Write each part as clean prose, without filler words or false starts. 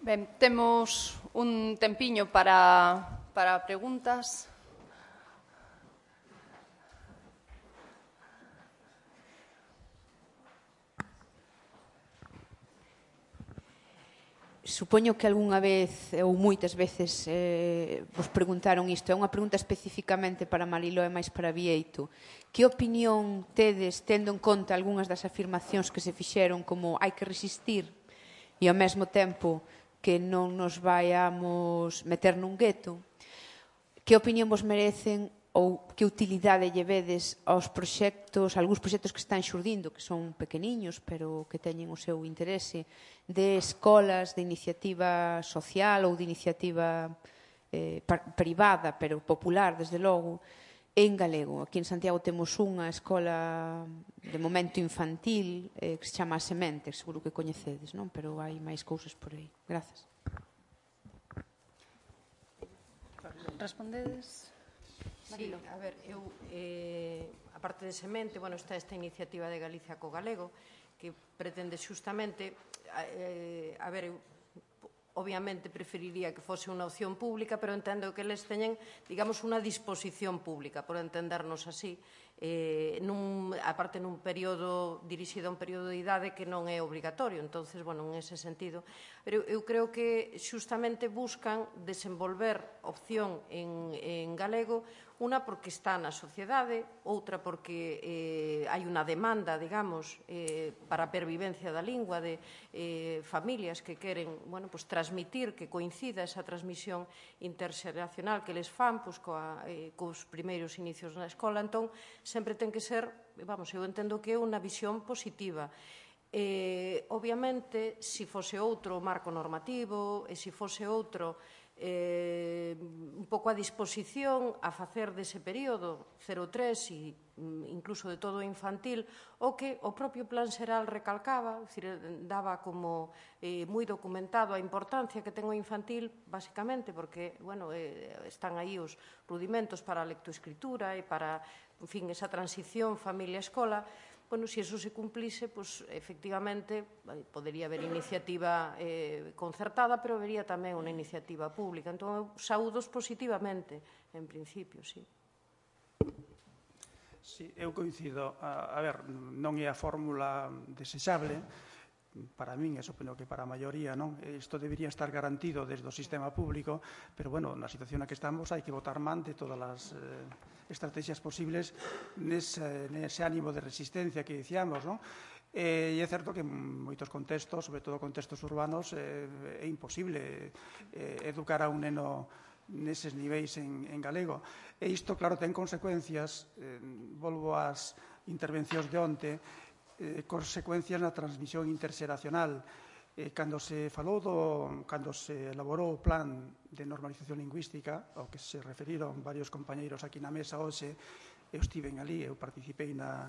Ben, temos un tempiño para preguntas. Supoño que algunha vez, ou moitas veces, vos preguntaron isto. É unha pregunta especificamente para Mariló e máis para Bieito. Que opinión tedes, tendo en conta algunhas das afirmacións que se fixeron, como hai que resistir e ao mesmo tempo que non nos vayamos meter nun gueto? Que opinión vos merecen ou que utilidade lle vedes aos proxectos, algúns proxectos que están xurdindo, que son pequeniños, pero que teñen o seu interese, de escolas de iniciativa social ou de iniciativa privada, pero popular, desde logo, en galego? Aquí en Santiago temos unha escola de momento infantil que se chama A Semente, seguro que coñecedes, non? Pero hai máis cousas por aí. Grazas. Respondedes? Sí, a ver, eu, a parte de Semente, bueno, está esta iniciativa de Galicia co galego, que pretende xustamente, a ver, eu obviamente preferiría que fose unha opción pública, pero entendo que eles teñen, digamos, unha disposición pública, por entendernos así, aparte nun período dirixido a un período de idade que non é obrigatorio. Entonces, bueno, en ese sentido, pero eu creo que xustamente buscan desenvolver opción en galego, unha porque está na sociedade, outra porque hai unha demanda, digamos, para a pervivencia da lingua de familias que queren, bueno, pues, transmitir, que coincida esa transmisión interxeracional que les fan, pues, cos primeiros inicios na escola. Entón, sempre ten que ser, vamos, eu entendo que é unha visión positiva. Obviamente, se fose outro marco normativo, e se fose outro un pouco a disposición a facer dese período 0-3 e incluso de todo infantil, o que o propio Plan Xeral recalcaba, daba como moi documentado a importancia que ten o infantil, basicamente, porque, bueno, están aí os rudimentos para a lectoescritura e para, en fin, esa transición familia-escola. Bueno, se eso se cumplise, pues, efectivamente, podería haber iniciativa concertada, pero habería tamén unha iniciativa pública. Entón, eu saúdos positivamente, en principio, sí. Sí, eu coincido. A ver, non é a fórmula desexable, para min, e supoño que para a maioría, non? Isto debería estar garantido desde o sistema público, pero, bueno, na situación na que estamos hai que botar man de todas as estrategias posibles nese ánimo de resistencia que dicíamos, non? E é certo que en moitos contextos, sobre todo contextos urbanos, é imposible educar a un neno neses niveis en galego. E isto, claro, ten consecuencias, volvo ás intervencións de onte, consecuencias na transmisión interxeracional. Cando se elaborou o plan de normalización lingüística, ao que se referiron varios compañeiros aquí na mesa hoxe, eu estiven ali, eu participei na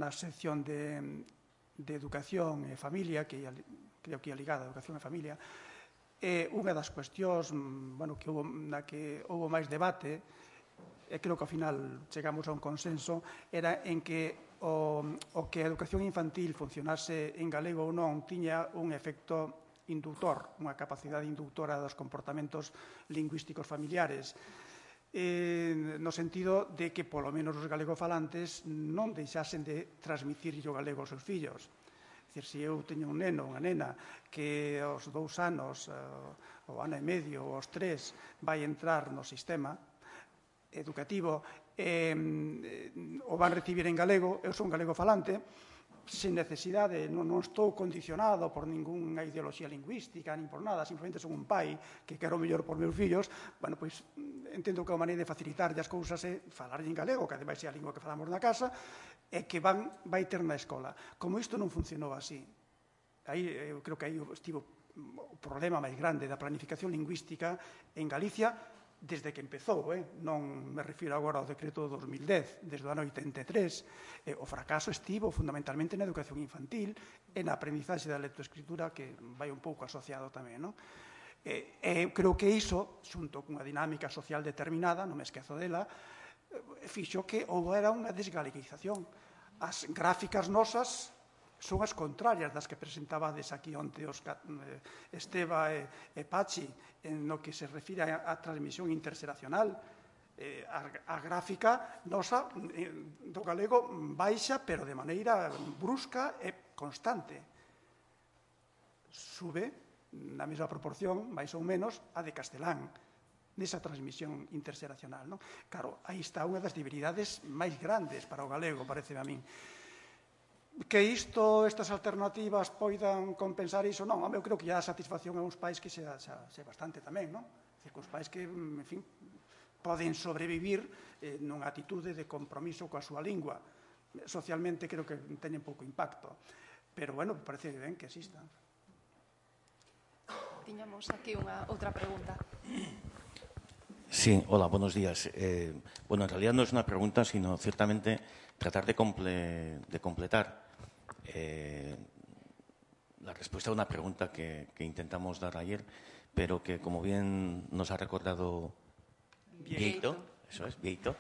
sección de educación e familia, que creo que é ligada a educación e familia, e unha das cuestións na que houve máis debate, e creo que ao final chegamos a un consenso, era en que o que a educación infantil funcionase en galego ou non tiña un efecto inductor, unha capacidade inductora dos comportamentos lingüísticos familiares, no sentido de que, polo menos, os galegofalantes non deixasen de transmitir o galego aos seus fillos. É dicir, se eu teño un neno, unha nena, que aos 2 anos, ou ano e medio, ou aos 3, vai entrar no sistema educativo, o van recibir en galego, eu son galego falante, sen necesidade, non estou condicionado por ningunha ideoloxía lingüística, nin por nada, simplemente son un pai que quero o mellor por meus fillos, bueno, pois entendo que a maneira de facilitar as cousas é falar en galego, que ademais é a lingua que falamos na casa, e que vai ter na escola. Como isto non funcionou así, eu creo que aí estivo o problema máis grande da planificación lingüística en Galicia, desde que empezou, non me refiro agora ao decreto do 2010, desde o ano 83, o fracaso estivo fundamentalmente na educación infantil e na aprendizaxe da lectoescritura, que vai un pouco asociado tamén, non? Creo que iso, xunto cunha dinámica social determinada, non me esquezo dela, fixo que houbera unha desgaleguización. As gráficas nosas son as contrarias das que presentabades aquí onte Esteba e Pachi, no que se refire á transmisión interxeracional. A gráfica nosa do galego baixa, pero de maneira brusca e constante. Sube na mesma proporción, máis ou menos, a de castelán, nesa transmisión interxeracional. Claro, aí está unha das debilidades máis grandes para o galego, parece a min. Que estas alternativas poidan compensar iso, non, eu creo que a satisfacción a uns pais que sea bastante tamén, non? É dicir, que os pais que, en fin, poden sobrevivir nunha atitude de compromiso coa súa lingua. Socialmente creo que teñen pouco impacto, pero, bueno, parece ben que existan. Tiñamos aquí unha outra pregunta. Sí, hola, buenos días. Bueno, en realidad no es una pregunta, sino ciertamente tratar de completar la respuesta a una pregunta que intentamos dar ayer, pero que, como bien nos ha recordado Vieito, eso es, Vieito,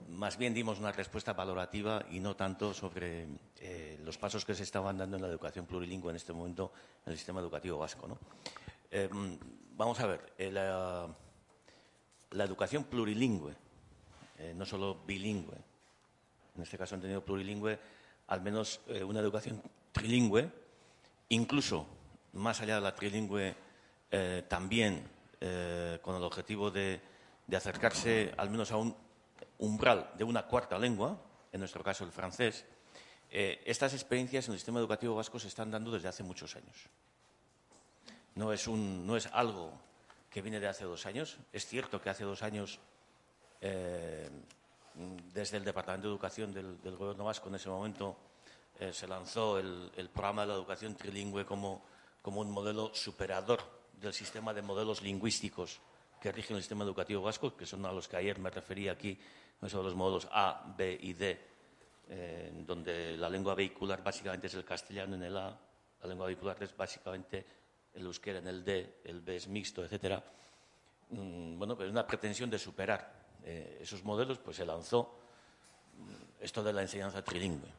más bien dimos una respuesta valorativa y no tanto sobre los pasos que se estaban dando en la educación plurilingüe en este momento en el sistema educativo vasco, ¿no? Vamos a ver, la educación plurilingüe, no solo bilingüe, en este caso entendido plurilingüe, al menos una educación trilingüe, incluso más allá de la trilingüe, también con el objetivo de acercarse al menos a un umbral de una cuarta lengua, en nuestro caso el francés. Estas experiencias en el sistema educativo vasco se están dando desde hace muchos años. No es algo que viene de hace 2 años. Es cierto que hace 2 años, desde el Departamento de Educación del Gobierno vasco, en ese momento, se lanzó el programa de la educación trilingüe como un modelo superador del sistema de modelos lingüísticos que rigen el sistema educativo vasco, que son a los que ayer me refería aquí, esos los modelos A, B y D, donde la lengua vehicular básicamente es el castellano en el A, la lengua vehicular es básicamente el euskera en el D, el B es mixto, etc. Bueno, pues una pretensión de superar esos modelos, pues se lanzó esto de la enseñanza trilingüe.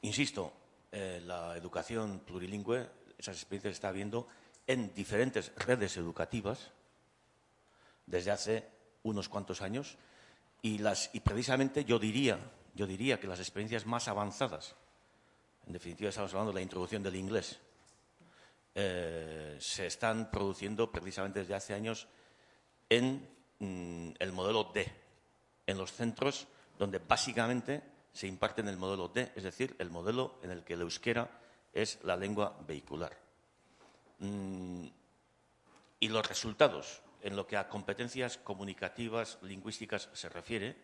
Insisto, la educación plurilingüe, esas experiencias se está viendo en diferentes redes educativas desde hace unos cuantos años y precisamente yo diría que las experiencias más avanzadas, en definitiva estamos hablando de la introducción del inglés, se están produciendo precisamente desde hace años en el modelo D, en los centros donde básicamente se imparte en el modelo D, es decir, el modelo en el que el euskera es la lengua vehicular. Y los resultados en lo que a competencias comunicativas, lingüísticas se refiere,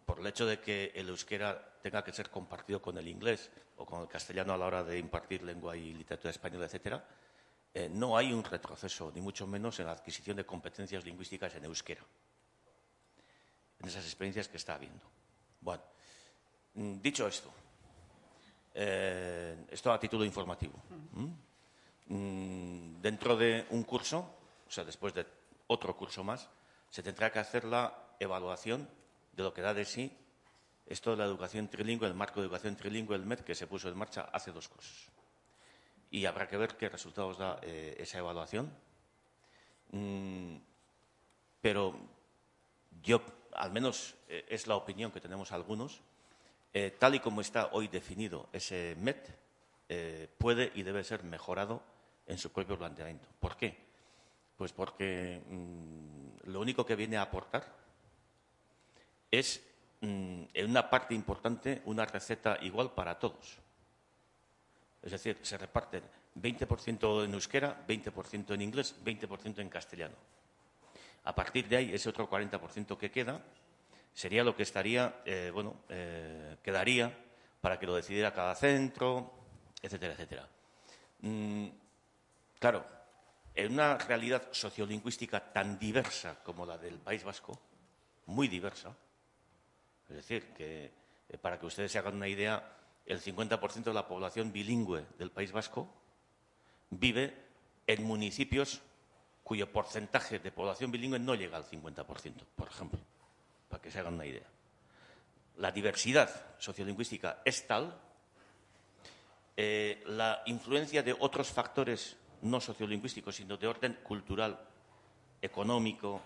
por el hecho de que el euskera tenga que ser compartido con el inglés o con el castellano a la hora de impartir lengua y literatura española, etcétera, no hay un retroceso, ni mucho menos en la adquisición de competencias lingüísticas en euskera, en esas experiencias que está habiendo. Bueno, dicho esto, esto a título informativo. Dentro de un curso, o sea, después de otro curso más, se tendrá que hacer la evaluación de lo que da de sí esto de la educación trilingüe, el marco de educación trilingüe, el MED, que se puso en marcha hace 2 cursos. Y habrá que ver qué resultados da esa evaluación. Pero yo, al menos es la opinión que tenemos algunos, tal y como está hoy definido ese MED, puede y debe ser mejorado en su propio planteamiento. ¿Por qué? Pues porque lo único que viene a aportar es, en una parte importante, una receta igual para todos. Es decir, se reparten 20% en euskera, 20% en inglés, 20% en castellano. A partir de ahí, ese otro 40% que queda sería lo que estaría, quedaría para que lo decidiera cada centro, etcétera, etcétera. Claro, en una realidad sociolingüística tan diversa como la del País Vasco, muy diversa, es decir, que para que ustedes se hagan una idea, el 50% de la población bilingüe del País Vasco vive en municipios cuyo porcentaje de población bilingüe no llega al 50%, por ejemplo. para que se hagan una idea. La diversidad sociolingüística es tal, la influencia de otros factores no sociolingüísticos, sino de orden cultural, económico,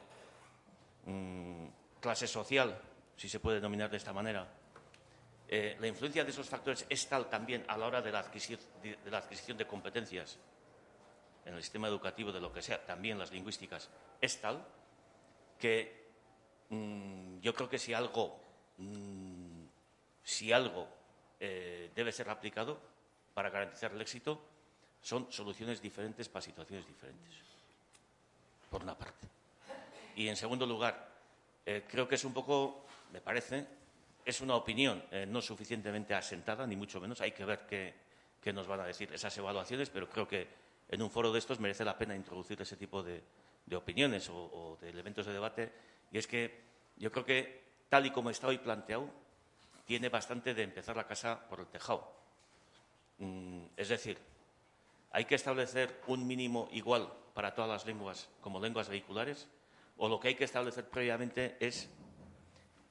clase social, si se puede denominar de esta manera, la influencia de esos factores es tal también a la hora de la adquisición de competencias en el sistema educativo, de lo que sea, también las lingüísticas, es tal que yo creo que si algo debe ser aplicado para garantizar el éxito, son soluciones diferentes para situaciones diferentes, por una parte. Y, en segundo lugar, creo que es un poco, me parece, es una opinión no suficientemente asentada, ni mucho menos. Hay que ver qué nos van a decir esas evaluaciones, pero creo que en un foro de estos merece la pena introducir ese tipo de opiniones o de elementos de debate. Y es que yo creo que, tal y como está hoy planteado, tiene bastante de empezar la casa por el tejado. Es decir, hay que establecer un mínimo igual para todas las lenguas como lenguas vehiculares, o lo que hay que establecer previamente es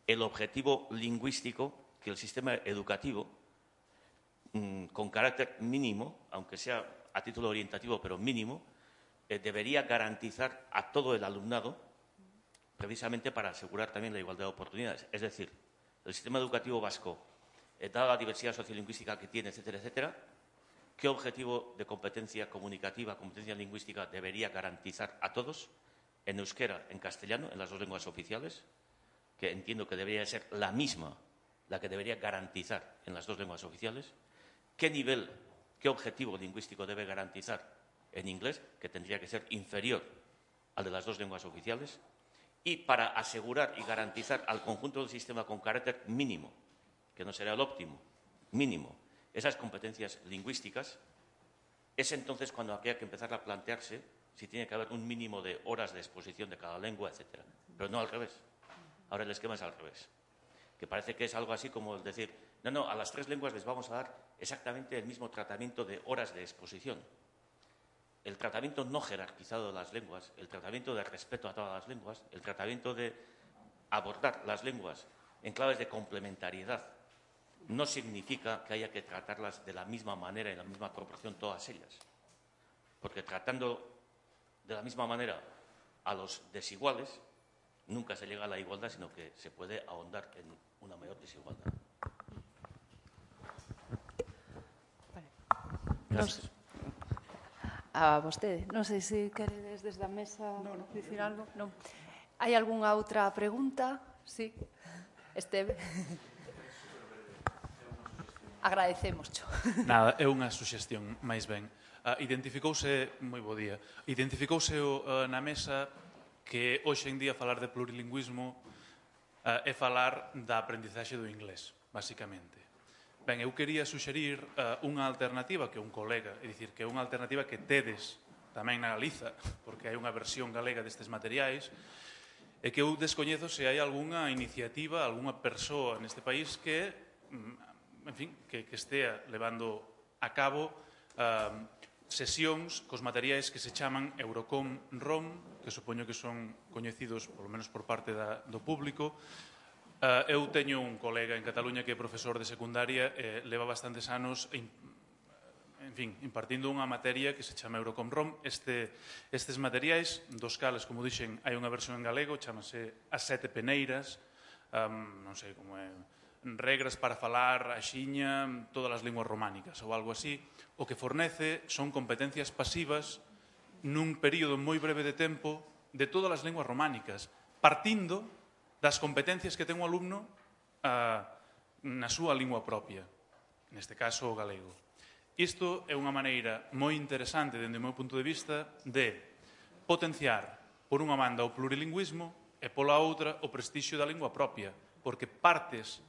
el objetivo lingüístico que el sistema educativo, con carácter mínimo, aunque sea a título orientativo, pero mínimo, debería garantizar a todo el alumnado, precisamente para asegurar también la igualdad de oportunidades. Es decir, el sistema educativo vasco, dada la diversidad sociolingüística que tiene, etcétera, etcétera, ¿qué objetivo de competencia comunicativa, competencia lingüística debería garantizar a todos en euskera, en castellano, en las dos lenguas oficiales, que entiendo que debería ser la misma, la que debería garantizar en las dos lenguas oficiales? ¿Qué nivel, qué objetivo lingüístico debe garantizar en inglés, que tendría que ser inferior al de las dos lenguas oficiales? Y para asegurar y garantizar al conjunto del sistema con carácter mínimo, que no será el óptimo, mínimo, esas competencias lingüísticas, es entonces cuando habría que empezar a plantearse si tiene que haber un mínimo de horas de exposición de cada lengua, etcétera. Pero no al revés. Ahora el esquema es al revés. Que parece que es algo así como el decir, no, a las tres lenguas les vamos a dar exactamente el mismo tratamiento de horas de exposición. El tratamiento no jerarquizado de las lenguas, el tratamiento de respeto a todas las lenguas, el tratamiento de abordar las lenguas en claves de complementariedad, no significa que haya que tratarlas de la misma manera y en la misma proporción todas ellas. Porque tratando de la misma manera a los desiguales, nunca se llega a la igualdad, sino que se puede ahondar en una mayor desigualdad. Gracias. A vostede. Non sei se queredes desde a mesa dicir algo. Non. Hai algunha outra pregunta? Sí. Esteve. Agradecémoscho. Nada, é unha suxestión, máis ben. Identificouse, moi bo día, identificouse na mesa que hoxe en día falar de plurilingüismo é falar da aprendizaxe do inglés, basicamente. Ben, eu quería suxerir unha alternativa que un colega, é dicir, que é unha alternativa que tedes tamén na Galiza, porque hai unha versión galega destes materiais, e que eu descoñezo se hai algunha iniciativa, algunha persoa neste país que, en fin, que estea levando a cabo sesións cos materiais que se chaman Eurocom ROM, que supoño que son coñecidos, polo menos por parte do público. Eu teño un colega en Cataluña que é profesor de secundaria e leva bastantes anos en fin, impartindo unha materia que se chama Eurocom ROM. Estes materiais, dos cales, como dixen, hai unha versión en galego, chamase As Sete Peneiras, non sei como é, regras para falar axiña todas as linguas románicas ou algo así. O que fornece son competencias pasivas nun período moi breve de tempo de todas as linguas románicas, partindo das competencias que ten o alumno na súa lingua propia, neste caso o galego. Isto é unha maneira moi interesante, dende o meu punto de vista, de potenciar, por unha banda, o plurilingüismo e, pola outra, o prestixio da lingua propia, porque partes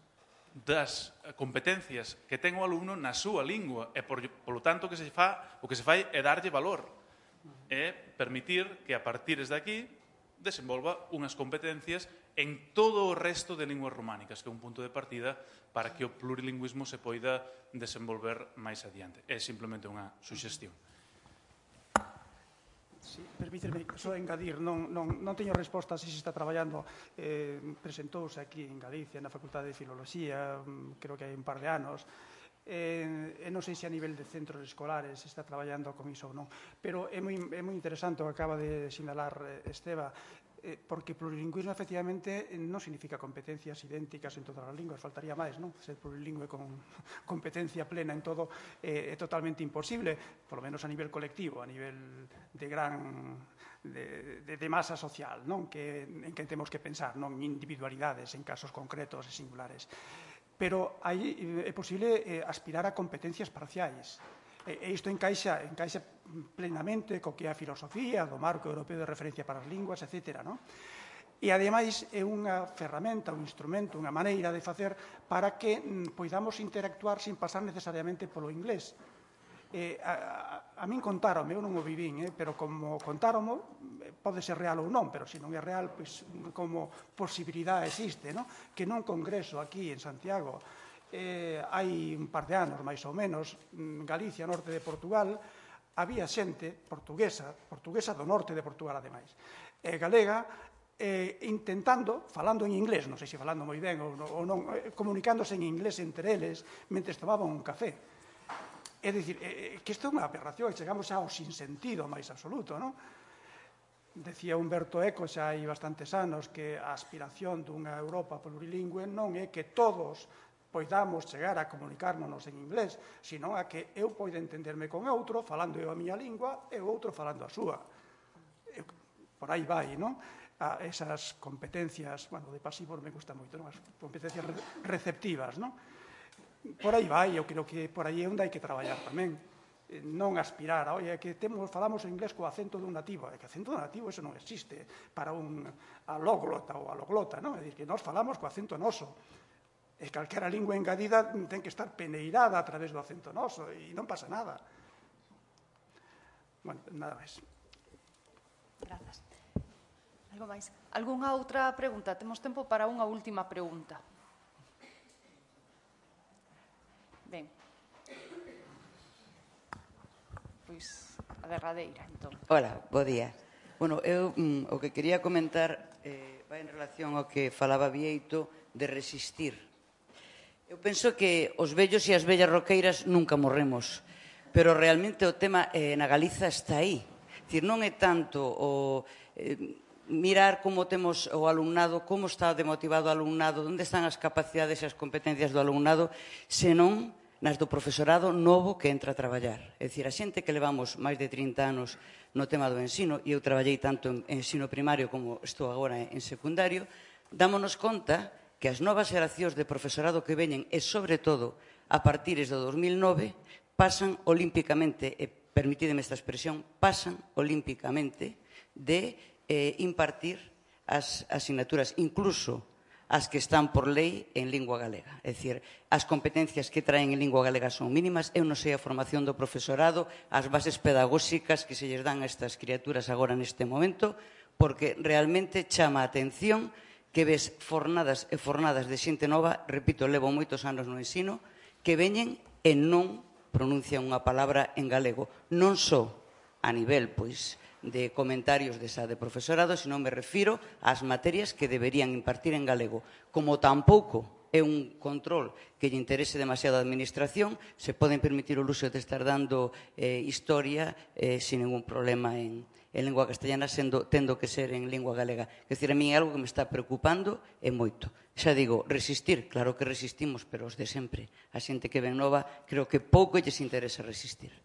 das competencias que ten o alumno na súa lingua e, polo tanto, o que se fai é darlle valor e permitir que, a partir de aquí, desenvolva unhas competencias en todo o resto de linguas románicas, que é un punto de partida para que o plurilingüismo se poida desenvolver máis adiante. É simplemente unha suxestión. Permíteme só engadir, non teño resposta se está traballando, presentouse aquí en Galicia, na Facultade de Filoloxía, creo que hai un par de anos, non sei se a nivel de centros escolares se está traballando con iso ou non, pero é moi interesante o que acaba de sinalar Esteba, porque plurilingüismo efectivamente non significa competencias idénticas en todas as linguas, faltaría máis, non? Ser plurilingüe con competencia plena en todo é totalmente imposible, por lo menos a nivel colectivo, a nivel de masa social, non? En que temos que pensar, non en individualidades, en casos concretos e singulares. Pero aí é posible aspirar a competencias parciais. E isto encaixa plenamente co que é a filosofía do marco europeo de referencia para as linguas, etc. E, ademais, é unha ferramenta, un instrumento, unha maneira de facer para que poidamos interactuar sin pasar necesariamente polo inglés. A min contáronme, eu non o vivín, pero como contáronme, pode ser real ou non, pero se non é real, como posibilidade existe, que nun congreso aquí en Santiago, hai un par de anos, máis ou menos, Galicia, norte de Portugal, había xente portuguesa do norte de Portugal, ademais, galega, intentando, falando en inglés, non sei se falando moi ben ou non, comunicándose en inglés entre eles, mentre tomaban un café. É dicir, que isto é unha aberración, chegamos ao sinsentido máis absoluto, non? Decía Humberto Eco xa hai bastantes anos que a aspiración dunha Europa plurilingüe non é que todos poidamos chegar a comunicarnos en inglés, sino a que eu poida entenderme con outro, falando eu a miña lingua, e o outro falando a súa. Por aí vai, non? Esas competencias, bueno, de pasivos me gusta moito, non? As competencias receptivas, non? Por aí vai, eu creo que por aí é onde hai que traballar tamén. Non aspirar a, oye, que falamos en inglés co acento dun nativo. É que acento dun nativo, eso non existe para un alóglota ou aloglota, non? É dicir, que nós falamos co acento noso. E calquera lingua engadida ten que estar peneirada a través do acento noso e non pasa nada. Bueno, nada máis. Grazas. Algo máis? Algúnha outra pregunta? Temos tempo para unha última pregunta. Ben. Pois, a derradeira, entón. Hola, bo día. Bueno, eu o que quería comentar vai en relación ao que falaba Bieito de resistir. Eu penso que os vellos e as vellas roqueiras nunca morremos, pero realmente o tema na Galiza está aí. Dicir, non é tanto o mirar como temos o alumnado, como está demotivado o alumnado, onde están as capacidades e as competencias do alumnado, senón nas do profesorado novo que entra a traballar. É dicir, a xente que levamos máis de 30 anos no tema do ensino, e eu traballei tanto en ensino primario como estou agora en secundario, dámonos conta que as novas xeracións de profesorado que veñen, e sobre todo a partires do 2009, pasan olímpicamente, e permitideme esta expresión, pasan olímpicamente de impartir as asignaturas, incluso as que están por lei en lingua galega. É dicir, as competencias que traen en lingua galega son mínimas. Eu non sei a formación do profesorado, as bases pedagóxicas que se lles dan a estas criaturas agora neste momento, porque realmente chama a atención que ves fornadas e fornadas de xente nova, repito, levo moitos anos no ensino, que veñen e non pronuncian unha palabra en galego. Non só a nivel, pois, de comentarios de profesorado, sino me refiro ás materias que deberían impartir en galego. Como tampouco é un control que lle interese demasiado a administración, se poden permitir o luxo de estar dando historia sin ningún problema en lingua castellana, tendo que ser en lingua galega. É dicir, a mí é algo que me está preocupando e moito. Xa digo, resistir, claro que resistimos, pero os de sempre. A xente que ven nova, creo que pouco lles interesa resistir.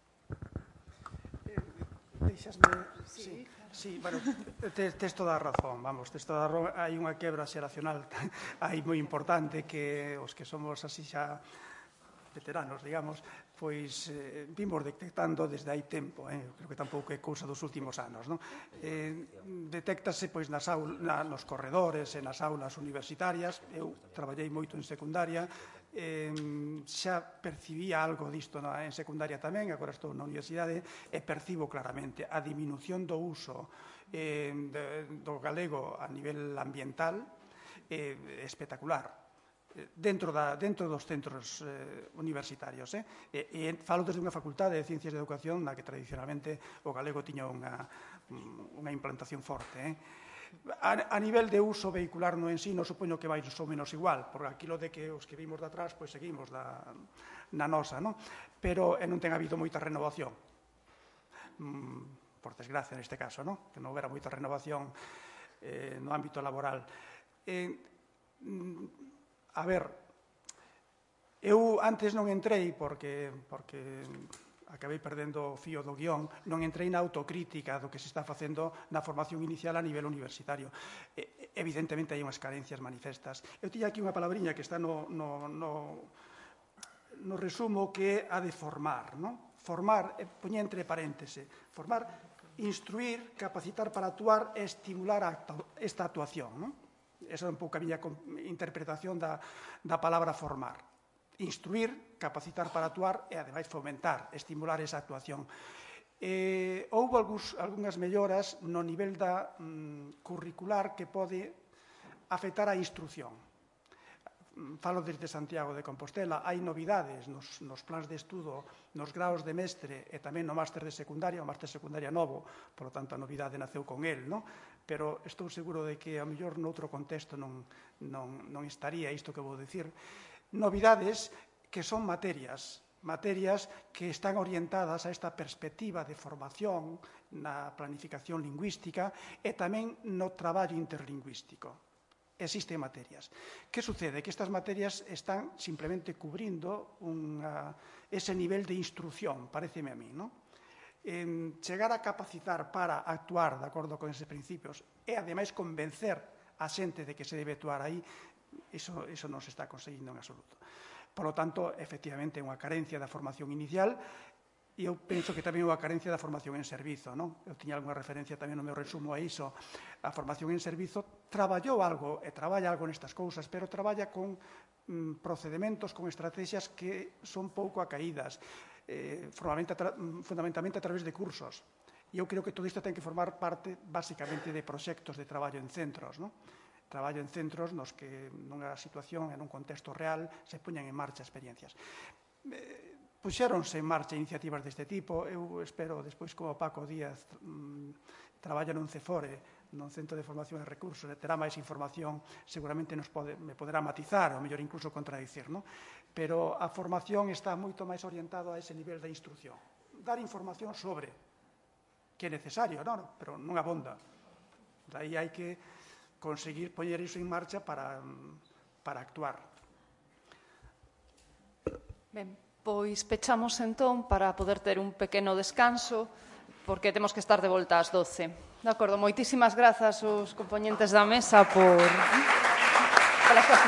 Deixasme... Sí, bueno, tes toda a razón, vamos, tes toda a razón. Hai unha quebra xeracional aí moi importante que os que somos así xa veteranos, digamos, pois vimos detectando desde hai tempo, creo que tampouco é cousa dos últimos anos, non? Detéctase pois nos corredores e nas aulas universitarias. Eu traballei moito en secundaria, xa percibía algo disto en secundaria tamén, agora estou na universidade e percibo claramente a diminución do uso do galego a nivel ambiental espectacular. dentro dos centros universitarios. E falo desde unha facultade de Ciencias de Educación na que tradicionalmente o galego tiña unha implantación forte. A nivel de uso vehicular no ensino, supoño que vai ou menos igual, porque aquilo de que os que vimos de atrás, pois seguimos na nosa, non? Pero non ten habido moita renovación. Por desgracia, neste caso, non? Que non houbera moita renovación no ámbito laboral. A ver, eu antes non entrei porque acabei perdendo o fío do guión, non entrei na autocrítica do que se está facendo na formación inicial a nivel universitario. Evidentemente hai unhas carencias manifestas. Eu tiña aquí unha palabriña que está no resumo que é a de formar, non? Formar, poña entre paréntese, formar, instruir, capacitar para actuar e estimular esta actuación, non? Esa é un pouco a miña interpretación da palabra formar. Instruir, capacitar para actuar e, ademais, fomentar, estimular esa actuación. Houve algunhas melloras no nivel da curricular que pode afectar a instrucción. Falo desde Santiago de Compostela. Hai novidades nos plans de estudo, nos graos de mestre e tamén no máster de secundaria, o máster de secundaria novo, por lo tanto a novidade naceu con el, non? Pero estou seguro de que a mellor noutro contexto non estaría isto que vou dicir. Novidades que son materias que están orientadas a esta perspectiva de formación na planificación lingüística e tamén no traballo interlingüístico. Existen materias. Que sucede? Que estas materias están simplemente cubrindo ese nivel de instrucción, pareceme a mí, non? Chegar a capacitar para actuar de acordo con eses principios e, ademais, convencer a xente de que se debe actuar aí, iso non se está conseguindo en absoluto. Por lo tanto, efectivamente, é unha carencia da formación inicial e eu penso que tamén é unha carencia da formación en servizo, non? Eu tiña algunha referencia tamén no meu resumo a iso. A formación en servizo traballou algo e traballa algo nestas cousas, pero traballa con procedementos, con estrategias que son pouco acaídas, fundamentalmente a través de cursos. E eu creo que todo isto ten que formar parte, basicamente, de proxectos de traballo en centros, non? Traballo en centros nos que nunha situación, en un contexto real, se poñan en marcha experiencias. Puxéronse en marcha iniciativas deste tipo. Eu espero, despois, como Paco Díaz traballa nun CEFORE, nun Centro de Formación e Recursos, terá máis información, seguramente me poderá matizar, ou mellor incluso contradicir, non? Pero a formación está moito máis orientado a ese nivel de instrucción. Dar información sobre que é necesario, non? Pero non abonda. Daí hai que conseguir poñer iso en marcha para actuar. Ben, pois pechamos entón para poder ter un pequeno descanso, porque temos que estar de volta ás 12. De acordo, moitísimas grazas aos compoñentes da mesa por súa